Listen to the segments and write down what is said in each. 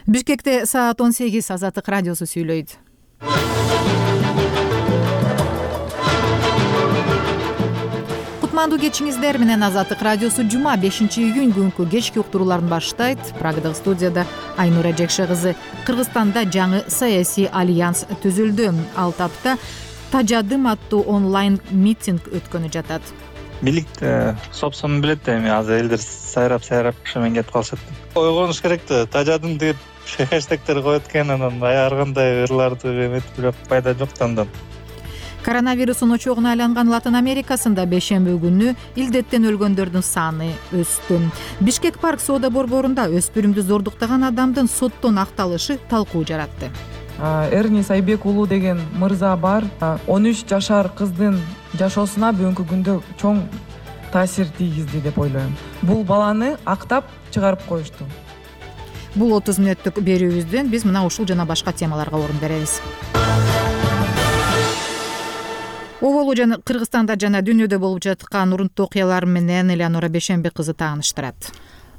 Бишкекте саат 18 Азаттык радиосу сүйлөйт. Кутмандуу кечиңиздер менен Азаттык радиосу жума 5-июнь күнкү кечки уктурууларын баштайт. Прагадагы студияда Айнура Жекше кызы. Кыргызстанда жаңы саясий альянс түзүлдү. Ал тапта Тажадым аттуу онлайн митинг өткөнү жатат. Бийлик сопсонун билет да, эми азыр элдер сайрап шемен кетип калышат. Ойгонуш керек да, Тажадым деп хэштегтер коет экен, анан ар кандай ырларды эметип жүрөп пайда жок да андан. Коронавирустун очогуна айланган Латын Америкасында бейшемби күнү илдеттен өлгөндөрдүн саны өстү. Бишкек парк соода борборунда өспүрүмдү зордуктаган адамдын соттон акталышы талкуу жаратты. Эрни Сайбек уулу деген мырза бар. 13 жашар кыздын жашоосуна бүгүнкү күндө чоң таасир тийгизди деп ойлойм. Бул баланы актап чыгарып коюшту. Бул 30 мүнөттүк берүүбүздөн биз мына ушул жана башка темаларга орун беребиз. Оболу жана Кыргызстанда жана дүйнөдө болуп жаткан урунттуу окуялар менен Элеонора Бейшемби кызы тааныштырат.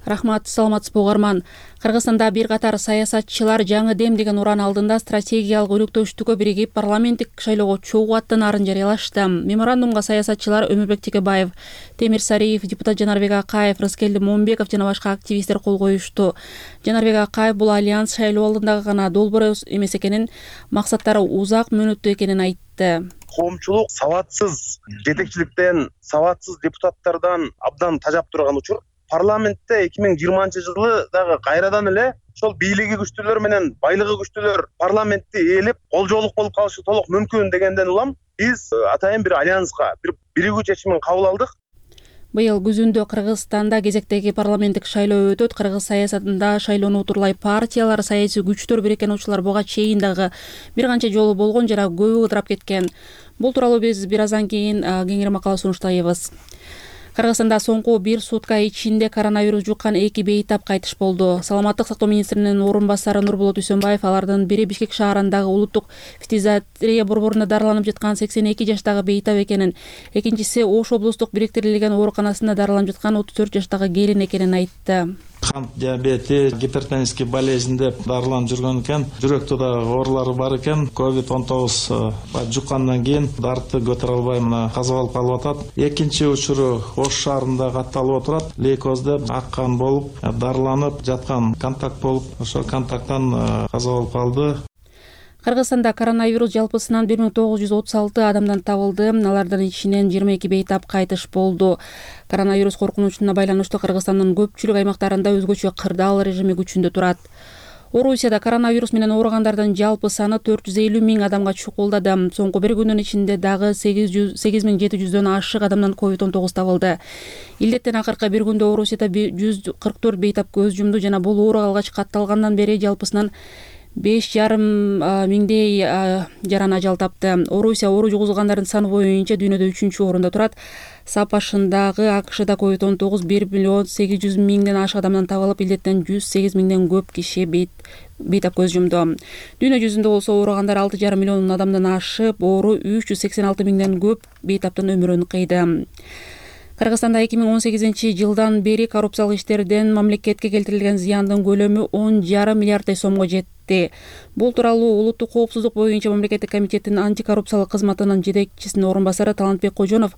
Рахмат, саламатсызбы угарман. Кыргызстанда бир катар саясатчылар жаңы дем деген уран алдында стратегиялык өнөктөштүккө биригип парламенттик шайлоого чогуу аттанаарын жарыялашты. Меморандумга саясатчылар Өмүрбек Текебаев, Темир Сариев, депутат Жанарбек Акаев, Рыскелди Момбеков жана башка активисттер кол коюшту. Жанарбек Акаев бул альянс шайлоо алдындагы гана долбоор эмес экенин, максаттары узак мөөнөттүү экенин айтты. Коомчулук сабатсыз жетекчиликтен, сабатсыз депутаттардан абдан тажап турган учур. Парламентте 2020-жылы дагы кайрадан эле ошол бийлиги күчтүүлөр менен байлыгы күчтүүлөр парламентти ээлеп, колжоолук болуп калышы толук мүмкүн дегенден улам биз атайын бир альянска, бир биригүү чечимин кабыл алдык. Быйыл күзүндө Кыргызстанда кезектеги парламенттик шайлоо өтөт. Кыргыз саясатында шайлоону утурлай партиялар, саясий күчтөр бириккен буга чейин дагы бир канча жолу болгон жана көбү ыдырап кеткен. Бул тууралуу биз бир аздан кийин кеңири макала сунуштайбыз. Кыргызстанда соңку бир сутка ичинде коронавирус жуккан 2 бейтап кайтыш болду. Саламаттык сактоо министринин орун басары Нурболот Үсөнбаев алардын бири Бишкек шаарындагы улуттук фтизиатрия борборунда дарыланып жаткан 82 жаштагы бейтап экенин, экинчиси Ош облустук бириктирилген ооруканасында дарыланып жаткан 34 жаштагы келин экенин айтты. Кант диабети, гипертензический болезнь деп дарыланып жүргөн экен. Жүрөктө да оорулары бар экен. COVID-19 жуккандан кийин дарытты көтөрө албай мына каза болуп калып атат. Экинчи учуру Ош шаарында катталып отурат. Лейкоз деп аккан болуп, дарыланып жаткан контакт болуп, ошо контакттан каза болуп калды. Кыргызстанда коронавирус жалпысынан 1936 адамдан табылды. Алардын ичинен 22 бейтап кайтыш болду. Коронавирус коркунучуна байланыштуу Кыргызстандын көпчүлүк аймактарында өзгөчө кырдаал режими күчүндө турат. Орусияда коронавирус менен ооругандардын жалпы саны 450 000 адамга чукулдады. Соңку бир күндүн ичинде дагы 8700дөн ашык адамдан COVID-19 табылды. Илдеттен акыркы бир күндө Орусияда 144 бейтап көз жумду жана бул оору алгач катталгандан бери жалпысынан 5,5 миңдей жаран ажал тапты. Орусия оору жугузгандардын саны боюнча дүйнөдө 3-орунда турат. САП башындагы АКШда COVID-19 1,8 миллион ашык адамдан табылып, илдеттен 108 000ден көп киши бейтап көз жумду. Дүйнө жүзүндө болсо ооругандар 6,5 миллион адамдан ашып, оору 386 000ден көп бейтаптын өмүрүн кыйды. Кыргызстанда 2018-жылдан бери коррупциялык иштерден мамлекетке келтирилген зыяндын көлөмү 10,5 миллиарддай сомго жетти. Бул тууралуу улуттук коопсуздук боюнча мамлекеттик комитеттин антикоррупциялык кызматынын жетекчисинин орун басары Талантбек Кожонов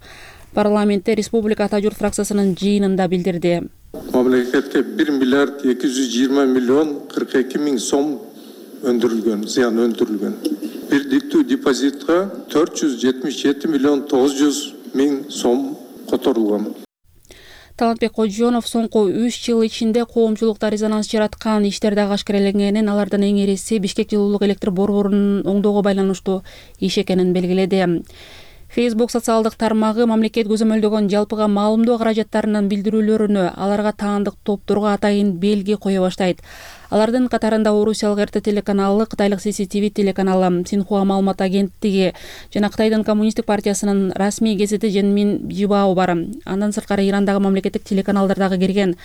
парламентте Республика Ата журт фракциясынын жыйынында билдирди. Мамлекетке 1 миллиард 220 миллион 42 миң сом өндүрүлгөн, зыян өндүрүлгөн. Бирдиктүү депозитка 477 миллион 900 миң сом которулган. Талантбек Кожонов соңку 3 жыл ичинде коомчулукта резонанс жараткан иштер дагы ашкареленгенин, алардын эң ириси Бишкек жылуулук электр борборунун оңдоого байланыштуу иш экенин белгиледи. Facebook социалдык тармагы мамлекет көзөмөлдөгөн жалпыга маалымдоо каражаттарынын билдирүүлөрүнө, аларга таандык топторго атайын белги кое баштайт. Алардын катарында Орусиялык РТ телеканалы, Кытайлык CCTV телеканалы, Синхуа маалымат агенттиги жана Кытайдын коммунисттик партиясынын расмий гезити Женмин Жибао бар. Андан сырткары Ирандагы мамлекеттик телеканалдар дагы кирген.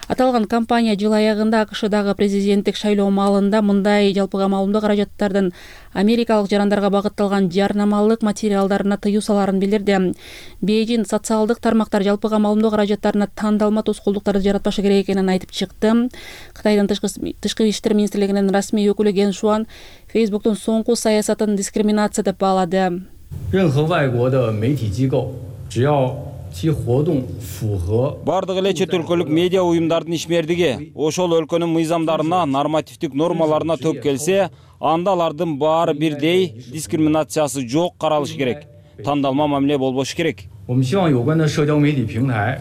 Аталган компания жыл аягында АКШдагы президенттик шайлоо маалында мындай жалпыга маалымдоо каражаттардын америкалык жарандарга багытталган жарнамалык материалдарына тыюу саларын билдирди. Бейжин социалдык тармактар жалпыга маалымдоо каражаттарына тандалма тоскоолдуктарды жаратпашы керек экенин айтып чыкты. Кытайдын тышкы Тышкы иштер министрлигинин расмий өкүлү Ген Шуан Фейсбуктун соңку саясатын дискриминация деп баалады. 任何外国的媒体机构只要其活动符合 Бардык эле чет өлкөлүк медиа уюмдардын ишмердиги ошол өлкөнүн мыйзамдарына, нормативдик нормаларына төп келсе, анда алардын баары бирдей, дискриминациясы жок каралышы керек. Тандалма мамиле болбошу керек. 我们希望有关的社交媒体平台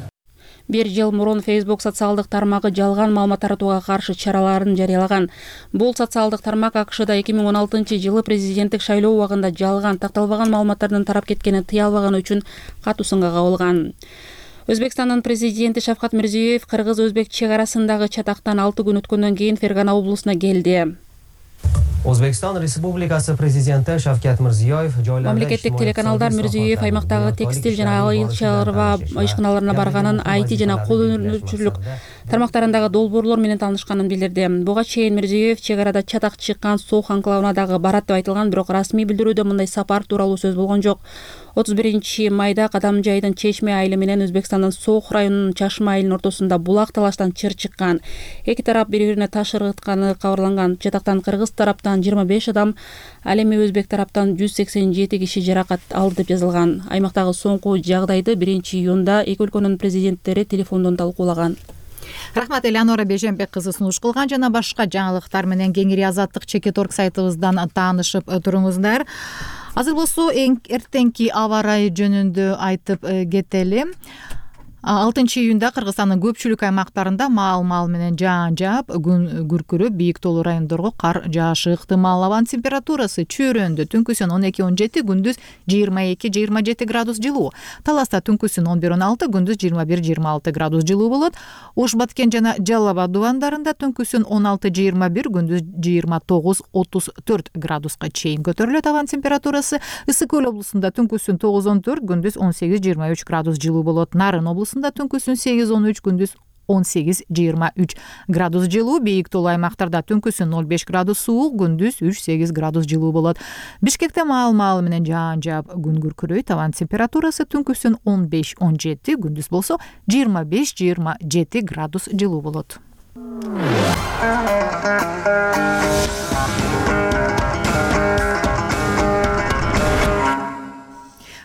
1 жыл мурун Facebook социалдык тармагы жалган маалымат таратууга каршы чараларын жарыялаган. Бул социалдык тармак АКШда 2016-жылы президенттик шайлоо убагында жалган, такталбаган маалыматтардын тарап кеткенин тыя албаганы үчүн катуу сынга кабылган. Өзбекстандын президенти Шавкат Мирзиёев кыргыз-өзбек чек арасындагы чатактан 6 күн өткөндөн кийин Фергана облусуна келди. Өзбекстан Республикасы президенти Шавкат Мирзиёев мамлекеттик телеканалдар Мирзиёев аймактагы текстиль жана айыл чарба ишканаларына барганын, IT жана кол өнөрчүлүк тармактарындагы долбоорлор менен таанышканын билдирди. Буга чейин Мирзиёев чек арада чатак чыккан Сох анклавына дагы барат деп айтылган, бирок расмий билдирүүдө мындай сапар тууралуу сөз болгон жок. 31-майда Кадамжайдын Чечме айылы менен Өзбекстандын Сох районунун Чашма айылынын ортосунда булак талаштан чыр чыккан. Эки тарап бири-бирине таш ыргытканы кабарланган. Чатактан кыргыз тараптан 25 адам, ал эми өзбек тараптан 187 киши жаракат алды деп жазылган. Аймактагы соңку жагдайды 1-июнда эки өлкөнүн президенттери телефондон талкуулаган. Рахмат, Элеонора Бежембек кызы сунуш кылган жана башка жаңылыктар менен кеңири Азаттык Чекиторг сайтыбыздан таанышып туруңуздар. Азыр болсо эртеңки аба ырайы жөнүндө айтып кетели. 6-июнда Кыргызстандын көпчүлүк аймактарында маал менен жаан жаап, күн күркүрөп, бийик тоолуу райондорго кар жаашы ыктымал. Абанын температурасы чөйрөндө түнкүсүн 12-17, күндүз 22-27 градус жылуу. Таласта түнкүсүн 11-16, күндүз 21-26 градус жылуу болот. Ош Баткен жана Жалал Абад дубандарында түнкүсүн 16-21, күндүз 29-34 градуска чейин көтөрүлөт. Абанын температурасы Ысык Көл облусунда түнкүсүн 9-14, күндүз 18-23 градус жылуу болот. Нарын облусунда түнкүсүн 8-13, күндүз 18-23 градус жылуу. Бийик тоолуу аймактарда түнкүсүн 05 градус суук, күндүз 3-8 градус жылуу болот. Бишкекте маал менен жаан жаап, күн күркүрөйт. Абанын температурасы түнкүсүн 15-17, күндүз болсо 25-27 градус жылуу болот.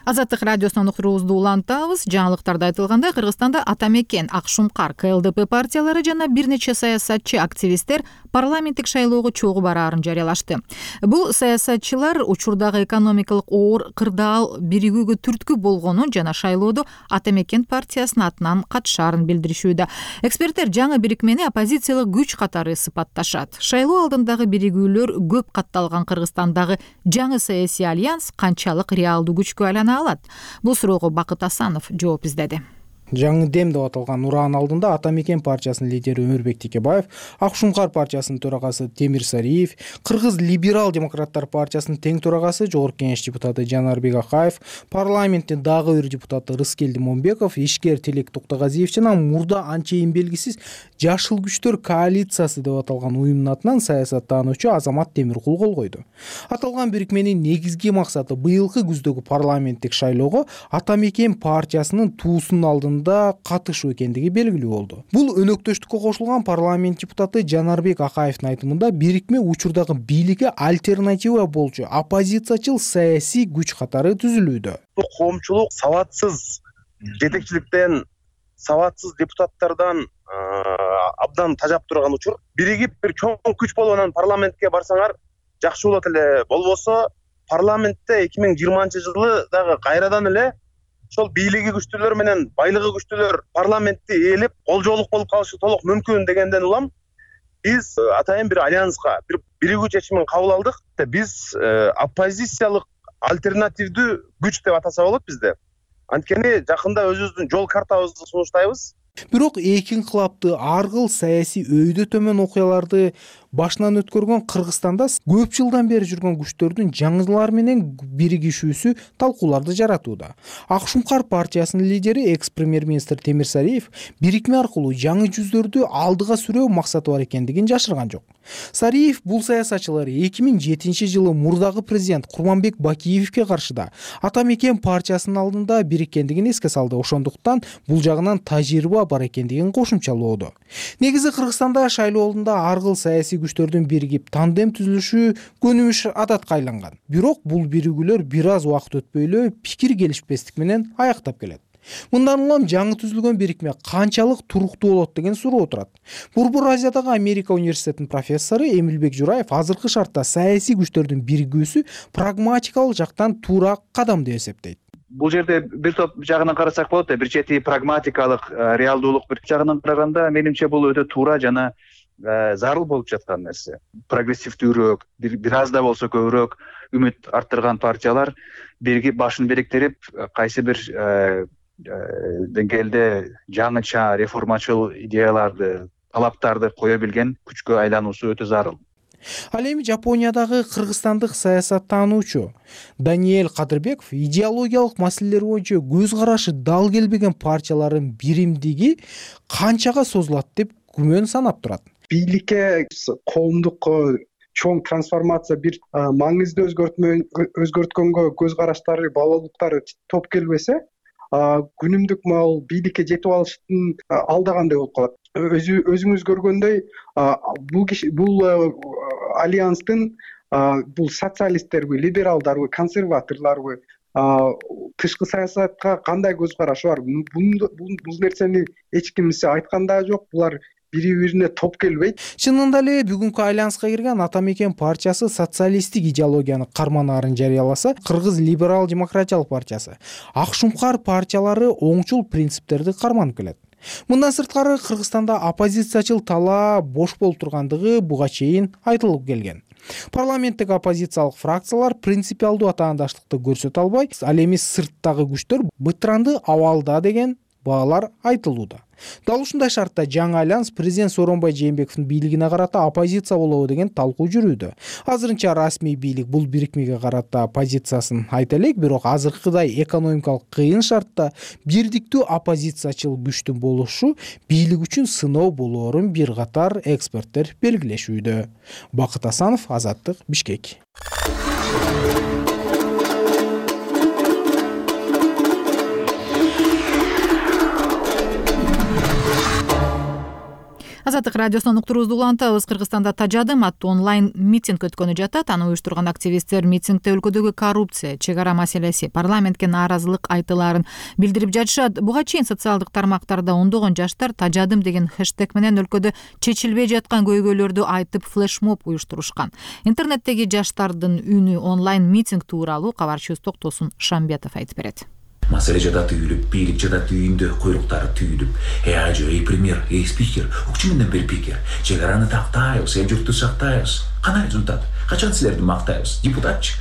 Азаттык радиосунун уктуруубузду улантабыз. Жаңылыктарда айтылгандай, Кыргызстанда Ата Мекен, Ак Шумкар, КЛДП партиялары жана бир нече саясатчы активисттер парламенттик шайлоого чогуу бараарын жарыялашты. Бул саясатчылар учурдагы экономикалык оор кырдаал биригүүгө түрткү болгонун жана шайлоодо Ата Мекен партиясынын атынан катышаарын билдиришүүдө. Эксперттер жаңы бирикмени оппозициялык күч катары сыпатташат. Шайлоо алдындагы биригүүлөр көп катталган Кыргызстандагы жаңы саясий альянс канчалык реалдуу күчкө айлана алат? Бул суроого Бакыт Асанов жооп издеди. Жаңы дем деп аталган ураан алдында Ата Мекен партиясынын лидери Өмүрбек Текебаев, Ак Шумкар партиясынын төрагасы Темир Сариев, Кыргыз либерал демократтар партиясынын тең төрагасы Жогорку Кеңеш депутаты Жанарбек Акаев, парламенттин дагы бир депутаты Рыскелди Момбеков, ишкер Тилек Токтогазиев жана мурда анчейин белгисиз Жашыл күчтөр коалициясы деп аталган уюмдун атынан саясаттануучу Азамат Темиркул кол койду. Аталган бирикменин негизги максаты быйылкы күздөгү парламенттик шайлоого Ата Мекен партиясынын туусунун алдында катышуу экендиги белгилүү болду. Бул өнөктөштүккө кошулган парламент депутаты Жанарбек Акаевдин айтымында бирикме учурдагы бийликке альтернатива болчу оппозициячыл саясий күч катары түзүлүүдө. Коомчулук сабатсыз жетекчиликтен, сабатсыз депутаттардан абдан тажап турган учур. Биригип бир чоң күч болуп анан парламентке барсаңар жакшы болот эле. Болбосо парламентте 2020-жылы дагы кайрадан эле ошол бийлиги күчтүүлөр менен байлыгы күчтүүлөр парламентти ээлеп, колжоолук болуп калышы толук мүмкүн дегенден улам биз атайын бир альянска, бир биригүү чечимин кабыл алдык. Биз оппозициялык альтернативдүү күч деп атаса болот бизде. Анткени жакында өзүбүздүн жол картабызды сунуштайбыз. Бирок эки инкылапты ар кыл саясий өйдө төмөн окуяларды башынан өткөргөн Кыргызстанда көп жылдан бери жүргөн күчтөрдүн жаңылар менен биригишүүсү талкууларды жаратууда. Ак Шумкар партиясынын лидери экс-премьер-министр Темир Сариев бирикме аркылуу жаңы жүздөрдү алдыга сүрөө максаты бар экендигин жашырган жок. Сариев бул саясатчылар 2007-жылы мурдагы президент Курманбек Бакиевке каршыда Ата Мекен партиясынын алдында бириккендигин эске салды. Ошондуктан бул жагынан тажрыйба бар экендигин кошумчалоодо. Негизи Кыргызстанда шайлоо алдында ар кыл саясий күчтөрдүн биригип тандем түзүлүшү көнүмүш адатка айланган. Бирок бул биригүүлөр бир аз убакыт өтпөй эле пикир келишпестик менен аяктап келет. Мындан улам жаңы түзүлгөн бирикме канчалык туруктуу болот деген суроо турат. Борбор Азиядагы Америка университетинин профессору Эмилбек Жураев азыркы шартта саясий күчтөрдүн биригүүсү прагматикалык жактан туура кадам деп эсептейт. Бул жерде бир топ жагынан карасак болот да, бир чети прагматикалык реалдуулук, бир жагынан караганда менимче бул өтө туура жана зарыл болуп жаткан нерсе. Прогрессивдүүрөөк, бир аз да болсо көбүрөөк үмүт арттырган партиялар башын бириктирип, кайсы бир деңгээлде жаңыча реформачыл идеяларды, талаптарды кое билген күчкө айлануусу өтө зарыл. Ал эми Жапониядагы кыргызстандык саясаттануучу Даниэль Кадырбеков идеологиялык маселелер боюнча көз карашы дал келбеген партиялардын биримдиги канчага созулат деп күмөн санап турат. Бийликке коомдук чоң трансформация, бир маңызды өзгөрткөнгө көз караштары, балалыктары топ келбесе, күнүмдүк мал бийликке жетип алыштын алдагандай болуп калат. Өзүңүз көргөндөй, бул альянстын бул социалисттерби, либералдарбы, консерваторлорбу, тышкы саясатка кандай көз карашы бар? Бул нерсени эч кимсе айткан да жок. Булар бири-бирине топ келбейт. Чынында эле бүгүнкү айланска кирген Ата Мекен партиясы социалисттик идеологияны карманаарын жарыяласа, Кыргыз либерал демократиялык партиясы, Ак Шумкар партиялары оңчул принциптерди карманып келет. Мындан сырткары Кыргызстанда оппозициячыл талаа бош болуп тургандыгы буга чейин айтылып келген. Парламенттик оппозициялык фракциялар принципиалдуу атаандаштыкты көрсөтө албай, ал эми сырттагы күчтөр бытыранды абалда деген баалар айтылууда. Дал ушундай шартта жаңы альянс президент Сооронбай Жээнбековдун бийлигине карата оппозиция болобу деген талкуу жүрүүдө. Азырынча расмий бийлик бул бирикмеге карата позициясын айта элек, бирок азыркыдай экономикалык кыйын шартта бирдиктүү оппозициячыл күчтүн болушу бийлик үчүн сыноо болоорун бир катар эксперттер белгилешүүдө. Бакыт Асанов, Азаттык, Бишкек. Азаттык радиосунун уктуруубузду улантабыз. Кыргызстанда Тажадым аттуу онлайн митинг өткөнү жатат. Аны уюштурган активисттер митингде өлкөдөгү коррупция, чек ара маселеси, парламентке нааразылык айтылаарын билдирип жатышат. Буга чейин социалдык тармактарда ондогон жаштар Тажадым деген хэштег менен өлкөдө чечилбей жаткан көйгөйлөрдү айтып флешмоб уюштурушкан. Интернеттеги жаштардын үнү онлайн митинг тууралуу кабарчыбыз Токтосун Шамбетов айтып берет. Маселе жада түйүлүп, бийлик жада түйүндө, куйруктары түйүлүп. Ажо, премьер, спикер, укчу менден бир пикер. Чек араны тактайбыз, эл журтту сактайбыз. Кандай результат? Качан силерди мактайбыз? Депутатчы,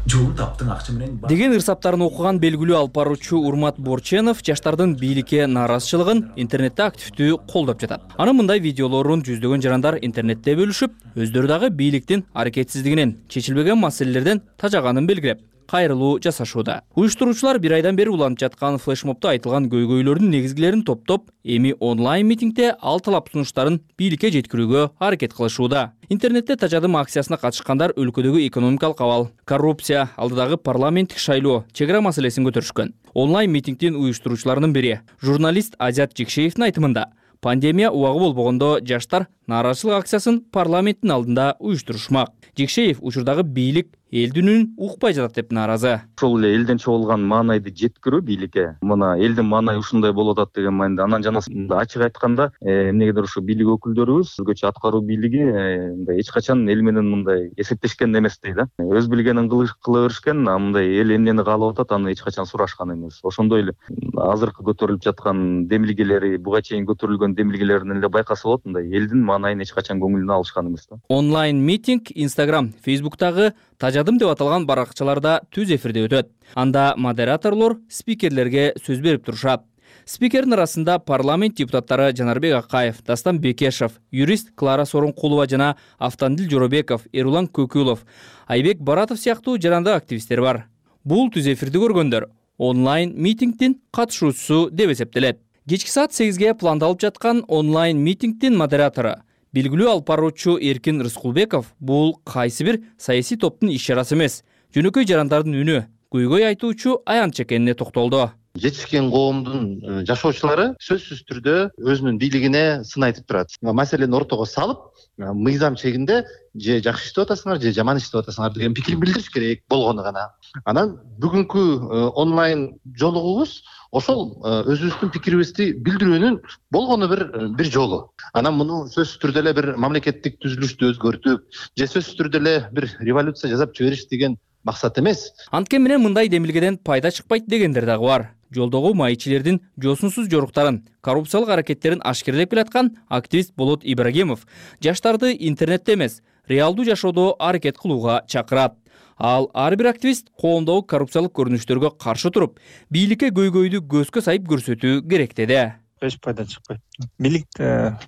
жолун таптың акча менен деген ырсаптарын окуган белгилүү алып баруучу Урмат Борченов жаштардын бийликке нааразычылыгын интернетте активдүү колдоп жатат. Анын мындай видеолорун жүздөгөн жарандар интернетте бөлүшүп, өздөрү дагы бийликтин аракетсиздигинен, чечилбеген маселелерден тажаганын белгилеп, кайрылуу жасашууда. Уюштуруучулар бир айдан бери уланып жаткан флешмобдо айтылган көйгөйлөрдүн негизгилерин топтоп, эми онлайн митингде ал талап сунуштарын бийликке жеткирүүгө аракет кылышууда. Интернетте Тажадым акциясына катышкандар өлкөдөгү экономикалык абал, коррупция, алдыдагы парламенттик шайлоо, чек ара маселесин көтөрүшкөн. Онлайн митингдин уюштуруучуларынын бири, журналист Азат Жекшеевдин айтымында, пандемия убагы болбогондо жаштар нааразычылык акциясын парламенттин алдында уюштурушмак. Жекшеев учурдагы бийлик элдин үнүн укпай жатат деп нааразы. Ошол эле элден чогулган маанайды жеткирүү бийликке. Мына элдин маанайы ушундай болуп атат деген маанайда. Анан жанагы ачык айтканда, эмнегедир ушу бийлик өкүлдөрүбүз, өзгөчө аткаруу бийлиги мындай эч качан эл менен мындай эсептешкен эмес дейт. Өз билгенин кыла беришкен, мындай эл эмнени каалап атат, аны эч качан сурашкан эмес. Ошондой эле азыркы көтөрүлүп жаткан демилгелери, буга чейин көтөрүлгөн демилгелерден эле байкаса болот, мындай элдин маанайын эч качан көңүлүнө алышкан эмес. Онлайн митинг Instagram, Facebooktагы Тажадым деп аталган баракчаларда түз эфирде өтөт. Анда модераторлор спикерлерге сөз берип турушат. Спикердин арасында парламент депутаттары Жанарбек Акаев, Дастан Бекешев, юрист Клара Сооронкулова жана Автандил Жоробеков, Эрулан Көкүлов, Айбек Баратов сыяктуу жарандык активисттер бар. Бул түз эфирди көргөндөр онлайн митингдин катышуучусу деп эсептелет. Кечки саат 8-ге пландалып жаткан онлайн митингдин модератору белгилүү алып баруучу Эркин Рыскулбеков бул кайсы бир саясий топтун иш чарасы эмес, жөнөкөй жарандардын үнү, көйгөй айтуучу аянтчы экенине токтолду. жетишкен коомдун жашоочулары сөзсүз түрдө өзүнүн бийлигине сын айтып турат. Маселени ортого салып, мыйзам чегинде же жакшы иштеп атасыңар, же жаман иштеп атасыңар деген пикир билдириш керек болгону гана. Анан бүгүнкү онлайн жолугубуз ошол өзүбүздүн пикирибизди билдирүүнүн болгону бир жолу. Анан муну сөзсүз түрдө эле бир мамлекеттик түзүлүштү өзгөртүп, же сөзсүз түрдө эле бир революция жасап жибериш деген максат эмес. Анткени менен мындай демилгеден пайда чыкпайт дегендер дагы бар. Жолдогу маекчилердин жосунсуз жоруктарын, коррупциялык аракеттерин ашкерлеп келаткан активист Болот Ибрагимов жаштарды интернетте эмес, реалдуу жашоодо аракет кылууга чакырат. Ал ар бир активист коомдогу коррупциялык көрүнүштөргө каршы туруп, бийликке көйгөйдү көзгө сайып көрсөтүү керек деди. Эч пайда чыкпайт. Бийлик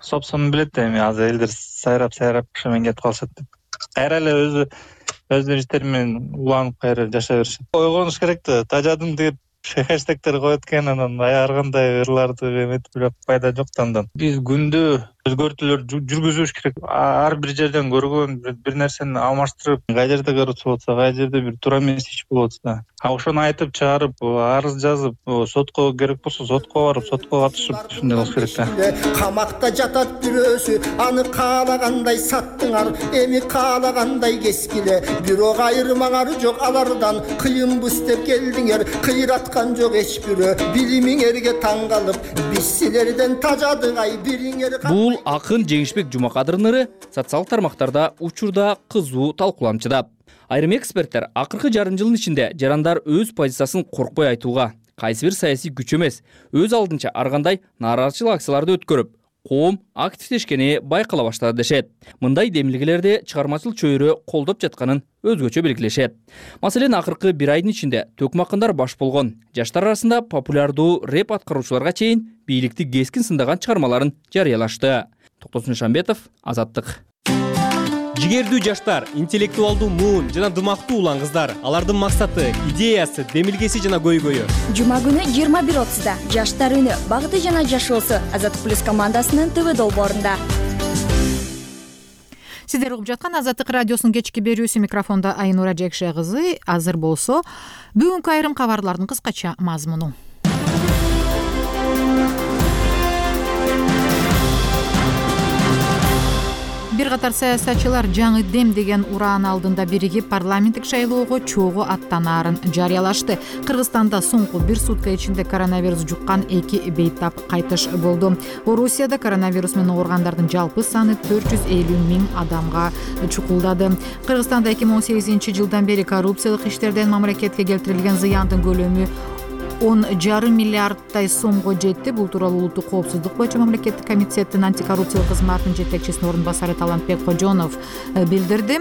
собственный билет эми азыр элдер сайрап шемен кетип калышат деп. Кайра эле өздөрүнүн иштери менен уланып кайра жашай беришет. Ойгонуш керек да, тажадым деп хэштегтер коет экен, анан аяргандай ырларды эметип жүрөп пайда жок да андан. Биз күндө өзгөртүүлөр жүргүзүш керек. Ар бир жерден көргөн бир нерсени алмаштырып, кай жерде коррупция болсо, кай жерде бир туура эмес иш болуп атса, ошону айтып чыгарып, арыз жазып, сотко керек болсо сотко барып, сотко катышып, ушундай болуш керек да. Камакта жатат бирөөсү, аны каалагандай саттыңар, эми каалагандай кескиле. Бирок айырмаңар жок алардан, кыйынбыз деп келдиңер, кыйраткан жок эч бирөө. Билимиңерге таң калып, биз силерден тажадык ай бириңер. Бул акын Жеңишбек Жумакадырдын ыры социалдык тармактарда учурда кызуу талкууланып жатат. Айрым эксперттер акыркы жарым жылдын ичинде жарандар өз позициясын коркпой айтууга, кайсы бир саясий күч эмес, өз алдынча ар кандай нааразычылык акцияларды өткөрүп, коом активдешкени байкала баштады дешет. Мындай демилгелерди чыгармачыл чөйрө колдоп жатканын өзгөчө белгилешет. Маселен, акыркы бир айдын ичинде төкмакындар баш болгон, жаштар арасында популярдуу рэп аткаруучуларга чейин бийликти кескин сындаган чыгармаларын жарыялашты. Токтосун Шамбетов, Азаттык. Жигердүү жаштар, интеллектуалдуу муун жана дымактуу улан кыздар. Алардын максаты, идеясы, демилгеси жана көйгөйү. Жума күнү 21:30да Жаштар үнү, багыты жана жашоосу Азаттык плюс командасынын ТВ долбоорунда. Сиздер угуп жаткан Азаттык радиосунун кечки берүүсү, микрофондо Айнура Жекше кызы. Азыр болсо бүгүнкү айрым кабарлардын кыскача мазмуну. Бир катар саясатчылар жаңы дем деген ураан алдында биригип парламенттик шайлоого чогуу аттанаарын жарыялашты. Кыргызстанда соңку бир сутка ичинде коронавирус жуккан 2 бейтап кайтыш болду. Орусияда коронавирус менен ооругандардын жалпы саны 450 000 адамга чукулдады. Кыргызстанда 2018-жылдан бери коррупциялык иштерден мамлекетке келтирилген зыяндын көлөмү 10,5 миллиардтай сомго жетти. Бул тууралуу улуттук коопсуздук боюнча мамлекеттик комитеттин антикоррупциялык кызматынын жетекчисинин орун басары Талантбек Кожонов билдирди.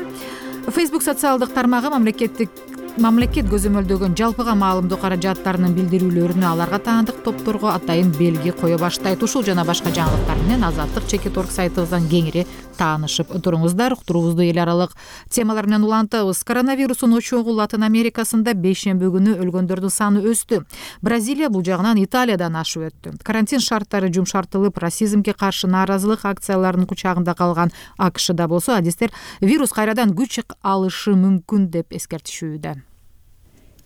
Facebook социалдык тармагы мамлекет көзөмөлдөгөн жалпыга маалымдоо каражаттарынын билдирүүлөрүнө аларга таандык топторго атайын белги кое баштайт. Ушул жана башка жаңылыктар менен Азаттык.org сайтыбыздан кеңири таанышып туруңуздар. Уктуруубузду эл аралык темалар менен улантабыз. Коронавирустун очогу Латын Америкасында бейшемби күнү өлгөндөрдүн саны өстү. Бразилия бул жагынан Италиядан ашып өттү. Карантин шарттары жумшартылып, расизмге каршы нааразылык акцияларынын кучагында калган АКШда болсо, адистер вирус кайрадан күч алышы мүмкүн деп эскертишүүдө.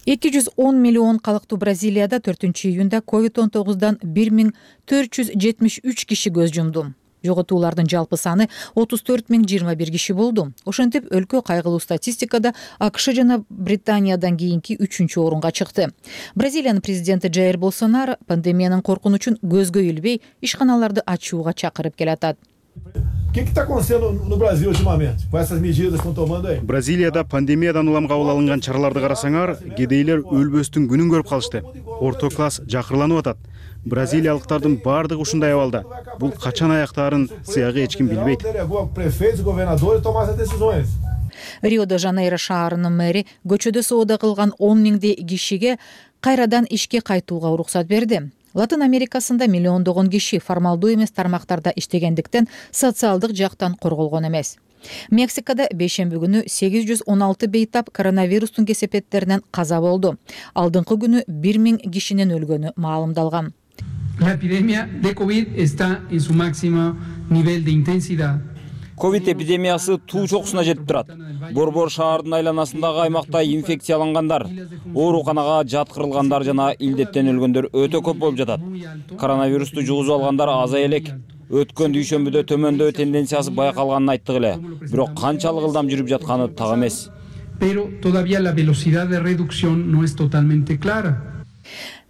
210 миллион калктуу Бразилияда 4-июнда COVID-19дан 1473 киши көз жумду. Жоготуулардын жалпы саны 34,021 киши болду. Ошентип, өлкө кайгылуу статистикада АКШ жана Британиядан кийинки 3-орунга чыкты. Бразилиянын президенти Жаир Болсонaro пандемиянын коркунучун көзгө илбей ишканаларды ачууга чакырып келатат. O que está acontecendo no Brasil ultimamente, com essas medidas que estão tomando aí? Бразилияда пандемиядан улам кабыл алынган чараларды карасаңар, кедейлер өлбөстүн күнүн көрүп калышты. Орто класс жакырланып атат. Бразилиялыктардын баардыгы ушундай абалда. Бул качан аяктаарын сыягы эч ким билбейт. Рио-де-Жанейро шаарынын мэри көчөдө соода кылган 10 000 кишиге кайрадан ишке кайтууга уруксат берди. Латын Америкасында миллиондогон киши формалдуу эмес тармактарда иштегендиктен социалдык жактан корголгон эмес. Мексикада бейшемби күнү 816 бейтап коронавирустун кесепеттеринен каза болду. Алдыңкы күнү 1000 кишинин өлгөнү маалымдалган. La epidemia de COVID está en su máximo nivel de intensidad. Ковид эпидемиясы туу чокусуна жетип турат. Борбор шаардын айланасындагы аймакта инфекциялангандар, ооруканага жаткырылгандар жана илдеттен өлгөндөр өтө көп болуп жатат. Коронавирусту жугузуп алгандар азая элек. Өткөн дүйшөмбүдө төмөндөө тенденциясы байкалганын айттык эле. Бирок канчалык ылдам жүрүп жатканы так эмес. Pero todavía la velocidad de reducción no es totalmente clara.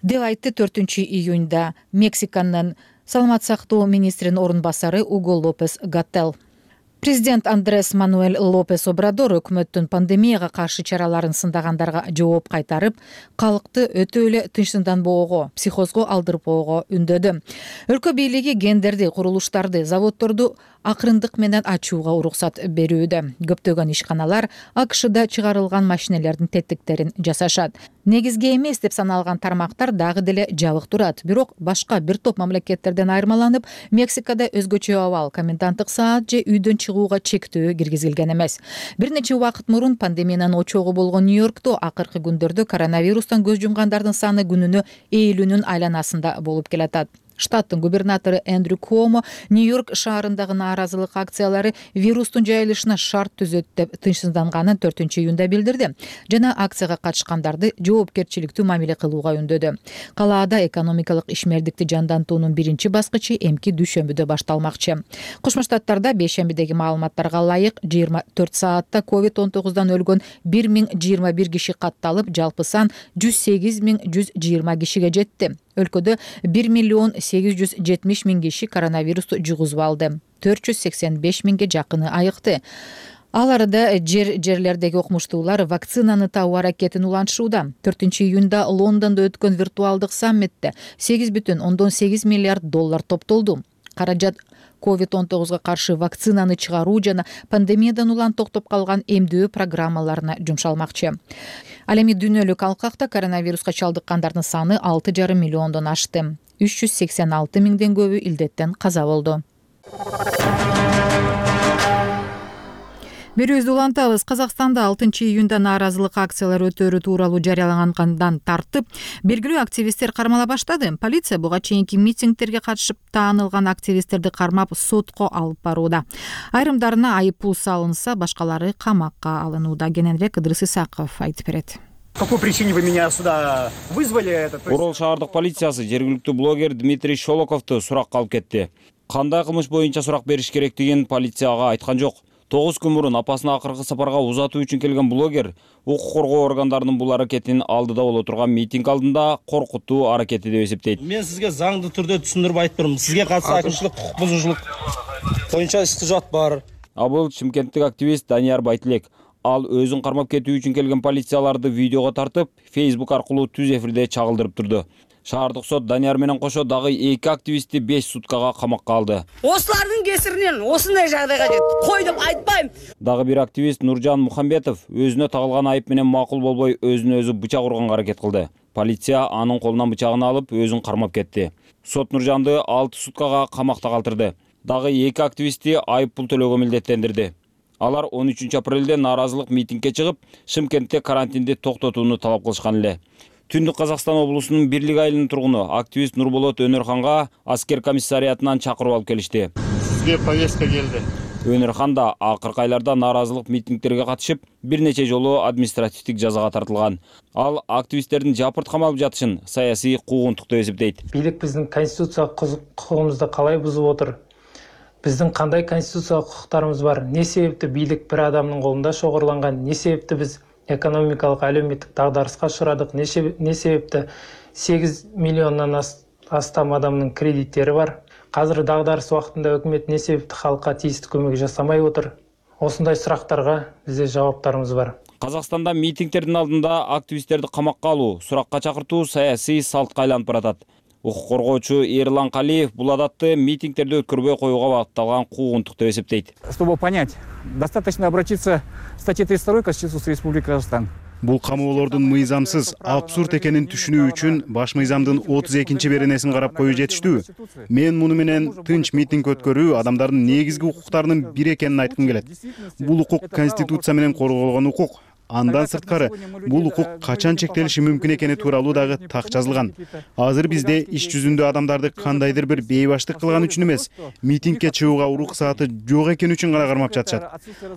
Деп айтты 4-июнда Мексиканын саламаттык сактоо министринин орун басары Уго Лопес Гаттел. Президент Андрес Мануэль Лопес Обрадор өкмөттүн пандемияга каршы чараларын сындагандарга жооп кайтарып, калкты өтө эле тынчсызданбоого, психозго алдырбоого үндөдү. Өлкө бийлиги гендерди, курулуштарды, заводдорду акырындык менен ачууга уруксат берүүдө. Көптөгөн ишканалар АКШда чыгарылган машинелердин теттиктерин жасашат. Негизги эмес деп саналган тармактар дагы деле жабык турат. Бирок башка бир топ мамлекеттерден айырмаланып, Мексикада өзгөчө абал, коменданттык саат же үйдөн чыгууга чектөө киргизилген эмес. Бир нече убакыт мурун пандемиянын очогу болгон Нью-Йоркто акыркы күндөрдө коронавирустан көз жумгандардын саны күнүнө 50-нүн айланасында болуп келатат. Штаттын губернатору Эндрю Куомо Нью-Йорк шаарындагы нааразылык акциялары вирустун жайылышына шарт түзөт деп тынчсызданганын 4-июнда билдирди жана акцияга катышкандарды жоопкерчиликтүү мамиле кылууга үндөдү. Калаада экономикалык ишмердикти жандантуунун биринчи баскычы эмки дүйшөмбүдө башталмакчы. Кошмо Штаттарда бейшембидеги маалыматтарга ылайык 24 саатта COVID-19 өлгөн 1021 киши катталып, жалпы сан 108.120 кишиге жетти. Өлкөдө 1.870.000 киши коронавирусту жугузуп алды. 485.000 жакыны айыкты. Ал арада жерлердеги окумуштуулар вакцинаны табуу аракетин улантышууда. 4-июнда Лондондо өткөн виртуалдык саммитте $8,8 миллиард топтолду. Каражат COVID-19 каршы вакцинаны чыгаруу жана пандемиядан улам токтоп калган эмдөө программаларына жумшалмакчы. Ал эми дүйнөлүк алкакта коронавируска чалдыккандардын саны 6,5 миллиондон ашты. 386 миңден көбү илдеттен каза болду. Берүүбүздү улантабыз. Казакстанда 6-июнда нааразылык акциялар өтөрү тууралуу жарыялангандан тартып, белгилүү активисттер кармала баштады. Полиция буга чейинки митингдерге катышып таанылган активисттерди кармап сотко алып барууда. Айрымдарына айып пул салынса, башкалары камакка алынууда. Кененирээк Ыдырыс Исаков айтып берет. По какой причине вы меня сюда вызвали? Орол шаардык полициясы жергиликтүү блогер Дмитрий Шолоковду суракка алып кетти. Кандай кылмыш боюнча сурак бериш керектигин полицияга айткан жок. 9 күн мурун апасына акыркы сапарга узатуу үчүн келген блогер укук коргоо органдарынын бул аракетинин алдыда боло турган митинг алдында коркутуу аракети деп эсептейт. Мен сизге заңды түрдө түшүндүрүп айтып турмун. Сизге катысы акымчылык укук бузуучулук боюнча иш кужат бар. А бул шымкенттик активист Данияр Байтилек. Ал өзүн кармап кетүү үчүн келген полицияларды видеого тартып, Facebook аркылуу түз эфирде чагылдырып турду. Шаардык сот Данияр менен кошо дагы 2 активистти 5 суткага камакка алды. Ослардын кесиринен осундай жагдайга жетти. Кой деп айтпайм. Дагы бир активист Нуржан Мухамбетов өзүнө тагылган айып менен макул болбой өзүнө өзү бычак урганга аракет кылды. Полиция анын колунан бычагын алып, өзүн кармап кетти. Сот Нуржанды 6 суткага камакта калтырды. Дагы 2 активистти айып пул төлөөгө милдеттендирди. Алар 13 апрелде нааразылык митингге чыгып, Шымкентте карантинди токтотууну талап кылышкан эле. Түндүк Казакстан облусунун Бирлик айылынын тургуну активист Нурболот Өнөрханга аскер комиссариятынан чакырып алып келишти. Сизге повестка келди. Өнөрхан да акыркы айларда нааразылык митингдерге катышып, бир нече жолу административдик жазага тартылган. Ал активисттердин жапырт камалып жатышын саясий куугунтук деп эсептейт. Бийлик биздин конституциялык кукугубузду калай бузуп отур? Биздин кандай конституциялык кукуктарыбыз бар? Не себепти бийлик бир адамдын колунда шогурланган? Не себепти биз экономикалык, әлеуметтик дагдарыска учурадык? Не себепти 8 миллиондон астам адамдын кредиттери бар? Азыр дагдарыс убактында өкмөт не себепти халкка тийиштүү көмөк жасамай отур? Осундай сурактарга бизде жаоптарыбыз бар. Казакстанда митингдердин алдында активисттерди камакка алуу, суракка чакыртуу саясий салтка айланып баратат. Укук коргоочу Эрлан Калиев бул адатты митингдерди өткөрбөй коюуга багытталган куугунтук деп эсептейт. Чтобы понять, достаточно обратиться к статье 32 Конституции Республики Казахстан. Бул камоолордун мыйзамсыз, абсурд экенин түшүнүү үчүн баш мыйзамдын 32-беренесин карап коюу жетиштүү. Мен муну менен тынч митинг өткөрүү адамдардын негизги укуктарынын бири экенин айткым келет. Бул укук Конституция менен корголгон укук. Андан сырткары бул укук качан чектелиши мүмкүн экени тууралуу дагы так жазылган. Азыр бизде иш жүзүндө адамдарды кандайдыр бир бейбаштык кылган үчүн эмес, митингге чыгууга уруксааты жок экени үчүн гана кармап жатышат.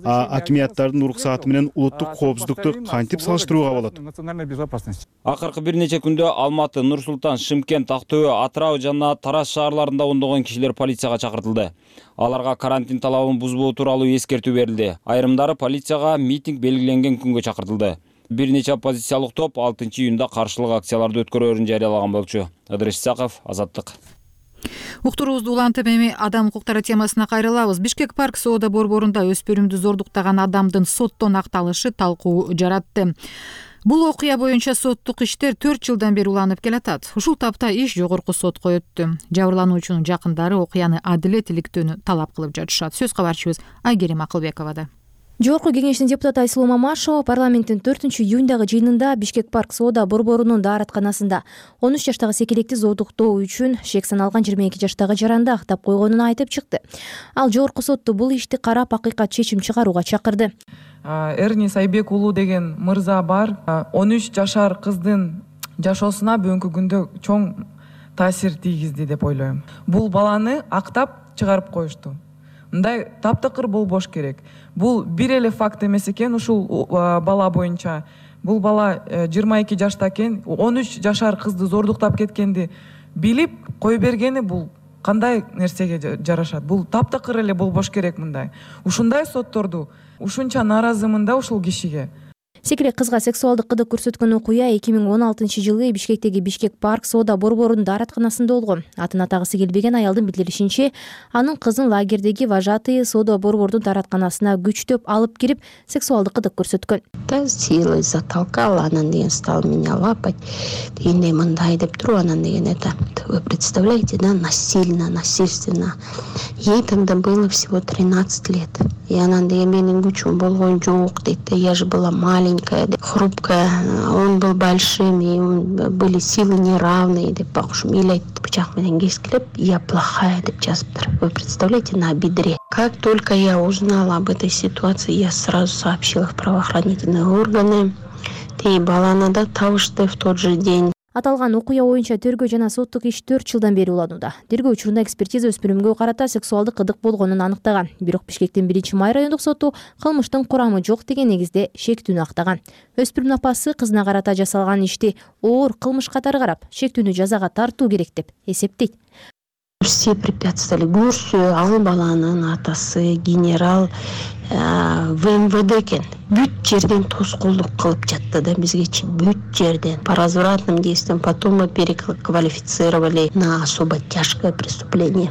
Акимияттардын уруксааты менен улуттук коопсуздукту кантип салыштырууга болот? Акыркы бир нече күндө Алматы, Нур Султан, Шымкент, Актөбө, Атырау жана Тараз шаарларында ондогон кишилер полицияга чакыртылды. Аларга карантин талабын бузбоо тууралуу эскертүү берилди. Айрымдары полицияга митинг белгиленген күнгө чакыртылды. Бир нече оппозициялык топ 6-июнда каршылык акцияларды өткөрөөрүн жарыялаган болчу. Ыдырыш Исаков, Азаттык. Уктуруубузду улантып эми адам укуктары темасына кайрылабыз. Бишкек парк соода борборунда өспүрүмдү зордуктаган адамдын соттон акталышы талкуу жаратты. Бул окуя боюнча соттук иштер 4 жылдан бери уланып келатат. Ушул тапта иш жогорку сотко өттү. Жабырлануучунун жакындары окуяны адилет иликтөөнү талап кылып жатышат. Сөз кабарчыбыз Айгерим Акылбековада. Жогорку кеңештин депутаты Айсулуу Мамашева парламенттин 4-июндагы жыйынында Бишкек парк соода борборунун дааратканасында 13 жаштагы секелекти зордуктоо үчүн шек саналган 22 жаштагы жаранды актап койгонун айтып чыкты. Ал жогорку сотту бул ишти карап акыйкат чечим чыгарууга чакырды. Эрни Сайбек уулу деген мырза бар. 13 жашар кыздын жашоосуна бүгүнкү күндө чоң таасир тийгизди деп ойлойм. Бул баланы актап чыгарып коюшту. Мындай таптакыр болбош керек. Бул бир эле факт эмес экен, ушул бала боюнча. Бул бала 22 жашта экен, 13 жашар кызды зордуктап кеткенди билип кой бергени бул кандай нерсеге жарашат? Бул таптакыр эле болбош керек мындай. Ушундай сотторду ушунча нааразымын да ушул кишиге. Секелек кызга сексуалдык кыдык көрсөткөн окуя 2016-жылы Бишкектеги Бишкек парк соода борборунун дааратканасында болгон. Атын атагысы келбеген аялдын билдиришинче, анын кызын лагердеги вожатые соода борбордун дааратканасына күчтөп алып кирип, сексуалдык кыдык көрсөткөн. Та силой затолкала, анан деген стал меня лапать. Дегенде мындай деп туруп, анан деген это, вы представляете, да, насильственно. Ей тогда было всего 13 лет. И анан деген менин күчүм болгон жок дейт. Я же была маленькая, хрупкая, он был большим, и были силы неравные, деп бакушум эл бычак менен кескилеп, я плохая деп жазыптыр. Вы представляете, на бедре. Как только я узнала об этой ситуации, я сразу сообщила в правоохранительные органы. И баланы да табышты в тот же день. Аталган окуя боюнча тергөө жана соттук иш 4 жылдан бери уланууда. Тергөө учурунда экспертиза өспүрүмгө карата сексуалдык кыдык болгонун анықтаган. Бирок Бишкектин 1-май райондук соту кылмыштын курамы жок деген негизде шектүүнү актаган. Өспүрүмдүн апасы кызына карата жасалган ишти оор кылмыш катары карап, шектүүнү жазага тартуу керек деп эсептейт. Все препятствовали. Көрсө, ал баланын атасы генерал в МВД экен. Бүт жерден тоскоолдук кылып жатты да бизгечи, бүт жерден. По развратным действиям, потом мы переквалифицировали на особо тяжкое преступление.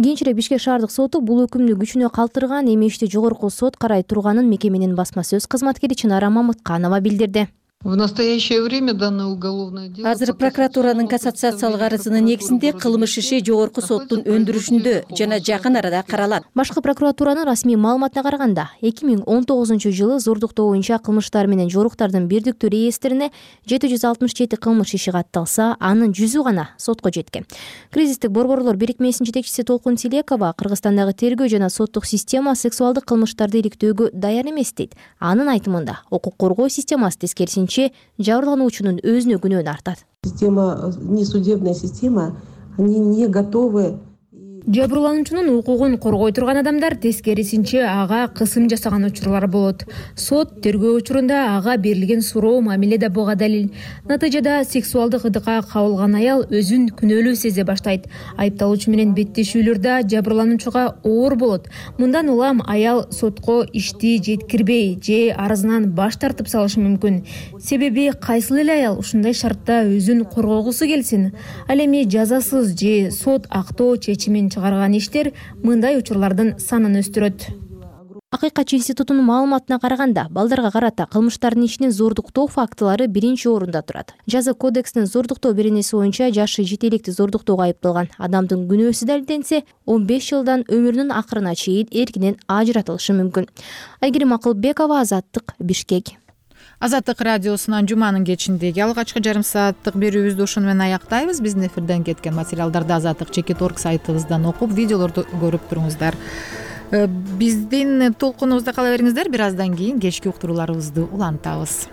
Кийинчерээк Бишкек шаардык соту бул өкүмдү күчүнө калтырган, эми ишти жогорку сот карай турганын мекеменин басма сөз кызматкери Чынара Мамытканова билдирди. В настоящее время данное уголовное дело... Азыр прокуратуранын кассациялык арызынын негизинде кылмыш иши жогорку соттун өндүрүшүндө жана жакын арада каралат. Башкы прокуратуранын расмий маалыматына караганда, 2019-жылы зордуктоо боюнча кылмыштар менен жоруктардын бирдиктүү реестрине 767 кылмыш иши катталса, анын 100 гана сотко жеткен. Кризистик борборлор бирикмесинин жетекчиси Толкун Тилекова Кыргызстандагы тергөө жана соттук система сексуалдык кылмыштарды иликтөөгө даяр эмес дейт. Анын айтымында, укук коргоо системасы тескерисинче жабырлануучунун өзүнө күнөөнү артат. Система, не судебная система, они не готовы. Жабырлануучунун укугун коргой турган адамдар тескерисинче ага кысым жасаган учурлар болот. Сот тергөө учурунда ага берилген суроо мамиле да буга далил. Натыйжада сексуалдык ыдыкка кабылган аял өзүн күнөөлүү сезе баштайт. Айыпталуучу менен беттешүүлөрдө жабырлануучуга оор болот. Мындан улам аял сотко ишти жеткирбей же арызынан баш тартып салышы мүмкүн. Себеби кайсыл эле аял ушундай шартта өзүн коргогусу келсин. Ал эми жазасыз же сот актоо чечимин чыгарган иштер мындай учурлардын санын өстүрөт. Акыйкатчы институтунун маалыматына караганда, балдарга карата кылмыштардын ишинин зордуктоо фактылары биринчи орунда турат. Жаза кодекстин зордуктоо беренеси боюнча жашы жете электи зордуктоого айыпталган адамдын күнөөсү далилденсе, 15 жылдан өмүрүнүн акырына чейин эркинен ажыратылышы мүмкүн. Айгерим Акылбекова, Азаттык, Бишкек. Азаттык радиосунан жуманын кечиндеги алгачкы жарым сааттык берүүбүздү ушуну менен аяктайбыз. Биздин эфирден кеткен материалдарды Азаттык.org сайтыбыздан окуп, видеолорду көрүп туруңуздар. Биздин толкунубузда кала бериңиздер, бир аздан кийин кечки уктурууларыбызды улантабыз.